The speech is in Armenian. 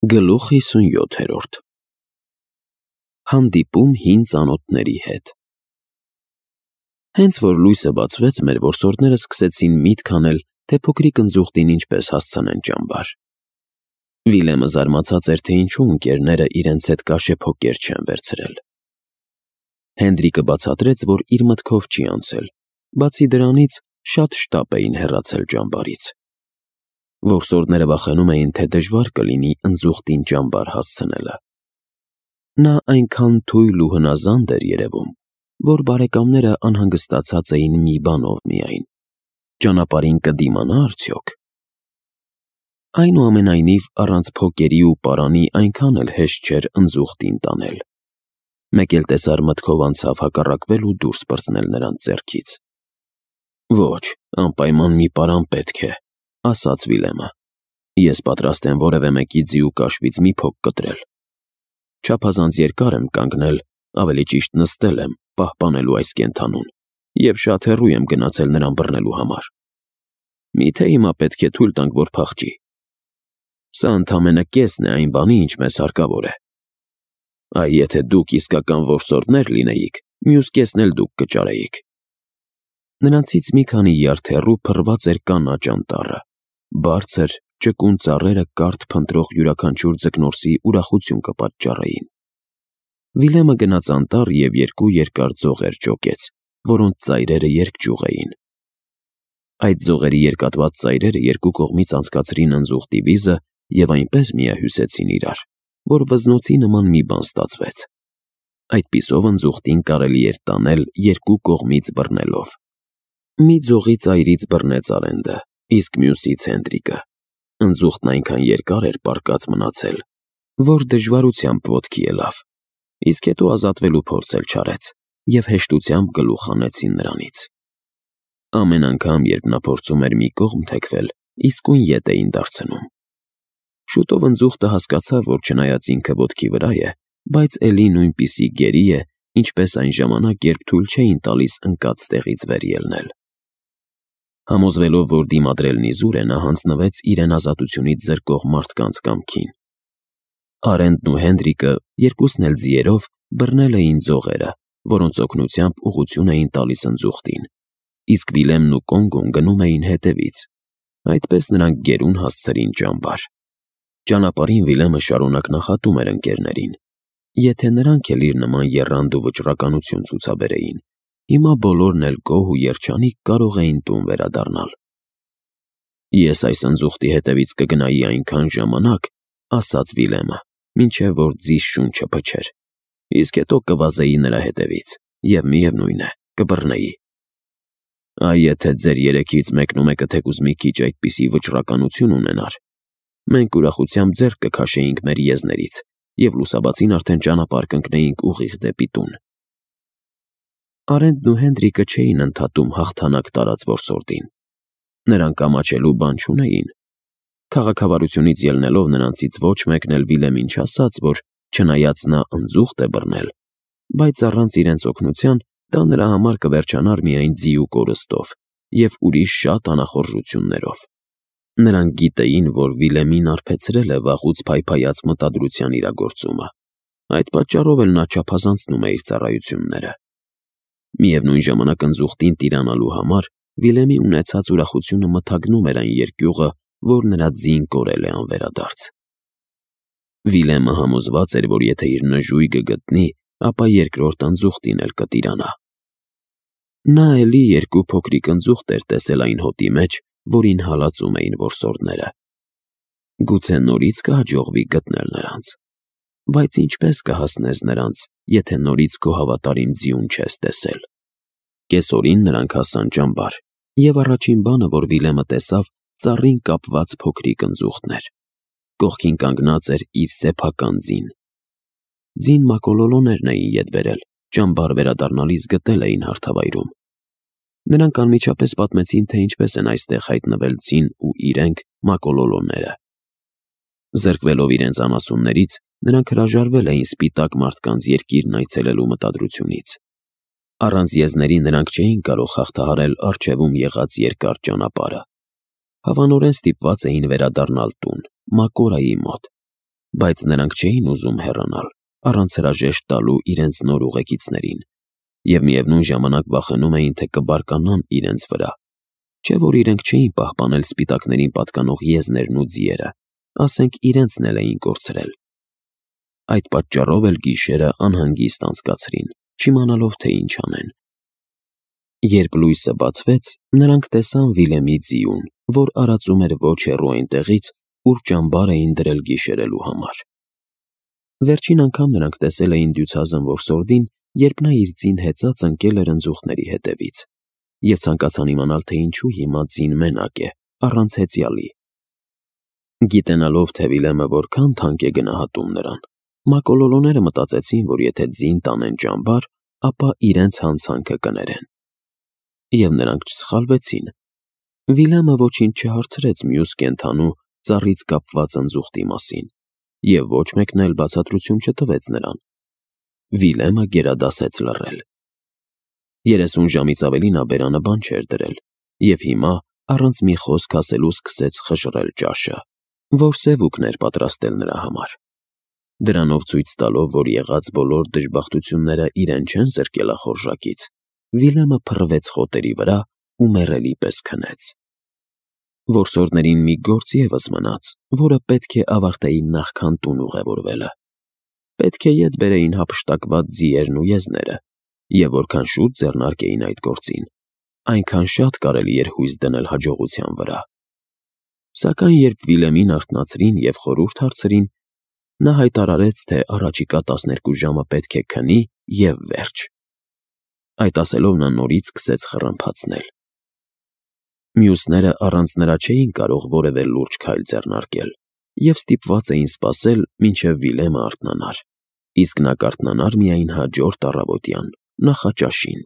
Գլուխ 57 Հանդիպում հին ծանոթների հետ։ Հենց որ լույսը բացվեց, մեր որսորդները սկսեցին միտք անել, թե փոքրիկ ընձուղտին ինչպես հասցնեն ճամբար։ Վիլեմը զարմացած էր, թե ինչու ընկերները իրենց հետ կաշեփոկեր չեն վերցրել։ Հենրիկը բացատրեց, որ իր մտքով չի անցել, բացի դրանից շատ շտապ էին հեռացել ճամբարից։ Որսորդները վախենում էին, թե դժվար կլինի ընձուղտին ճամբար հասցնելը։ Նա այնքան թույլ ու հնազանդ էր երևում, որ բարեկամները անհանգստացած էին մի բանով միայն. ճանապարհին կդիմանա՞ արդյոք։ Այնուամենայնիվ, առանց փոկերի ու պարանի այնքան էլ հեշտ չէր ընձուղտին տանել։ Մեկ էլ տեսար մտքով անցավ հակառակվել ու դուրս պրծնել նրանց ձեռքից։ «Ոչ, անպայման մի պարան պետք է», ասաց Վիլեմը։ «Ես պատրաստ եմ որևէ մեկի ձի ու կաշվից մի փոք կտրել։ Չափազանց երկար եմ կանգնել, ավելի ճիշտ նստել եմ, պահպանելու այս կենդանուն, և շատ հեռու եմ գնացել նրան բռնելու համար։ Միթե հիմա պետք է թույլ տանք, որ փախչի։ Սա ընդամենը կեսն է այն բանի, ինչ մեզ հարկավոր է։ Այ եթե դուք իսկական որսորդներ լինեիք, մյուս կեսն էլ դուք կճարեիք»։ Նրանցից մի քանի յարդ հեռու փռված էր կանաչ անտառը, բարձր, ճկուն ծառերը կարթ փնտրող յուրաքանչյուր ձկնորսի ուրախություն կպատճառեին։ Վիլեմը գնաց անտառ և երկու երկար ձողեր ճոկեց, որոնց ծայրերը երկճյուղ էին։ Այդ ձողերի երկատված ծայրերը երկու կողմից անցկացրին ընձուղտի վիզը և այնպես միահյուսեցին իրար, որ վզնոցի նման մի բան ստացվեց։ Այդպիսով ընձուղտին կարելի էր տանել երկու կողմից բռնելով։ Մի ձողի ծայրից բռնեց Արենդը, իսկ մյուսից Հենրիկը։ Ընձուղտն այնքան երկար էր պառկած մնացել, որ դժվարությամբ ոտքի ելավ, իսկ հետո ազատվելու փորձ էլ չարեց, և հեշտությամբ գլուխ հանեցին նրանից։ Ամեն անգամ, երբ նա փորձում էր մի կողմ թեքվել, իսկույն ետ էին դարձնում։ Շուտով ընձուղտը հասկացավ, որ չնայած ինքը ոտքի վրա է, բայց էլի նույնպիսի գերի է, ինչպես այն ժամանակ, երբ թույլ չէին տալիս ընկած տեղից վեր ելնել։ Համոզվելով, որ դիմադրելն իզուր է, նա հանձնվեց իրեն ազատությունից զրկող մարդկանց կամքին։ Արենդն ու Հենրիկը, երկուսն էլ ձիերով, բռնել էին ձողերը, որոնց օգնությամբ ուղղություն էին տալիս ընձուղտին, իսկ Վիլեմն ու Կոնգոն գնում էին հետևից։ Այդպես նրանք գերուն հասցրին ճամբար։ Ճանապարհին Վիլեմը շարունակ նախատում էր ընկերներին. եթե նրանք էլ իր նման եռանդ ու վճռականություն ցուցաբերեին, հիմա բոլորն էլ գոհ ու երջանիկ կարող էին տուն վերադառնալ։ «Ես այս ընձուղտի հետևից կգնայի այնքան ժամանակ», ասաց Վիլեմը, «մինչև որ ձիս շունչը փչեր, իսկ հետո կվազեի նրա հետևից, և միևնույն է, կբռնեի։ Այ եթե ձեր երեքից մեկն ու մեկը թեկուզ մի քիչ այդպիսի վճռականություն ունենար, մենք ուրախությամբ ձեռք կքաշեինք մեր եզներից և լուսաբացին արդեն ճանապարհ կընկնեինք ուղիղ դեպի տուն»։ Արենդն ու Հենրիկը չէին ընդհատում հաղթանակ տարած որսորդին։ Նրանք ամաչելու բան չունեին։ Քաղաքավարությունից ելնելով նրանցից ոչ մեկն էլ Վիլեմին չասաց, որ չնայած նա ընձուղտ է բռնել, բայց առանց իրենց օգնության դա նրա համար կվերջանար միայն ձի ու կորստով և ուրիշ շատ անախորժություններով։ Նրանք գիտեին, որ Վիլեմին արբեցրել է վաղուց փայփայած մտադրության իրագործումը։ Այդ պատճառով էլ նա չափազանցնում է իր ծառայությունները։ Միևնույն ժամանակ ընձուղտին տիրանալու համար Վիլեմի ունեցած ուրախությունը մթագնում էր այն երկյուղը, որ նրա ձին կորել է անվերադարձ։ Վիլեմը համոզված էր, որ եթե իր նժույգը գտնի, ապա երկրորդ ընձուղտին էլ կտիրանա։ Նա էլի երկու փոքրիկ ընձուղտ էր տեսել այն հոտի մեջ, որին հալածում էին որսորդները։ Գուցե նորից կհաջողվի գտնել նրանց։ Բայց ինչպես կհասնես նրանց, եթե նորից քո հավատարիմ ձիուն չես տեսել։ Կեսօրին նրանք հասան ճամբար, և առաջին բանը, որ Վիլեմը տեսավ, ծառին կապված փոքրիկ ընձուղտն էր։ Կողքին կանգնած էր իր սեփական ձին։ Ձին մակոլոլոներն էին ետ բերել, ճամբար վերադառնալիս գտել էին հարթավայրում։ Նրանք անմիջապես պատմեցին, թե ինչպես են այստեղ հայտնվել ձին ու իրենք մակոլոլոները։ Զրկվելով իրենց անասուններից, նրանք հրաժարվել էին սպիտակ մարդկանց երկիրն այցելելու մտադրությունից։ Առանց եզների նրանք չէին կարող հաղթահարել առջևում եղած երկար ճանապարհը։ Հավանորեն ստիպված էին վերադառնալ տուն, Մակորայի մոտ։ բայց նրանք չէին ուզում հեռանալ, առանց հրաժեշտ տալու իրենց նոր ուղեկիցներին, և միևնույն ժամանակ վախենում էին, թե կբարկանան իրենց վրա, չէ՞ որ իրենք չէին պահպանել սպիտակներին պատկանող եզներն ու ձիերը, ասենք իրենցն էլ էին կորցրել։ Այդ պատճառով էլ գիշերը անհանգիստ անցկացրին, չիմանալով, թե ինչ անեն։ Երբ լույսը բացվեց, նրանք տեսան Վիլեմի ձիուն, որ արածում էր ոչ հեռու այնտեղից, ուր ճամբար էին դրել գիշերելու համար։ Վերջին անգամ նրանք տեսել էին դյուցազն որսորդին, երբ նա իր ձին հեծած ընկել էր ընձուղտների հետևից, և ցանկացան իմանալ, թե ինչու հիմա ձին մենակ է, առանց հեծյալի։ Գիտենալով, թե Վիլեմը որքան թանկ է գնահատում նրան, մակոլոլոները մտածեցին, որ եթե ձին տանեն ճամբար, ապա իրենց հանցանքը կներեն։ Եվ նրանք չսխալվեցին։ Վիլեմը ոչինչ չհարցրեց մյուս կենդանու ծառից կապված ընձուղտի մասին, և ոչ մեկն էլ բացատրություն չտվեց նրան։ Վիլեմը գերադասեց լռել։ 30 ժամից ավելի նա բերանը բան չէր դրել, և հիմա առանց մի խոսք ասելու սկսեց խժռել ճաշը, որ սևուկն էր պատրաստել նրա համար։ Դրանով ցույց տալով, որ եղած բոլոր դժբախտությունները իրեն չեն զրկել ախորժակից, Վիլեմը փռվեց խոտերի վրա ու մեռելի պես քնեց։ Որսորդներին մի գործ ևս մնաց, որը պետք է ավարտեին նախքան տուն ուղևորվելը։ Պետք է ետ բերեին հափշտակված ձիերն ու եզները, և որքան շուտ ձեռնարկեին այդ գործին, այնքան շատ կարելի էր հույս դնել հաջողության վրա։ Սակայն երբ Վիլեմին արթնացրին և խորհուրդ հարցրին, նա հայտարարեց, թե առաջիկա 12 ժամը պետք է քնի և վերջ։ Այդ ասելով նա նորից սկսեց խռմփացնել։ Մյուսները առանց նրա չէին կարող որևէ լուրջ քայլ ձեռնարկել և ստիպված էին սպասել, մինչև Վիլեմը արթնանար, իսկ նա կարթնանար միայն հաջորդ առավոտյան նախաճաշին։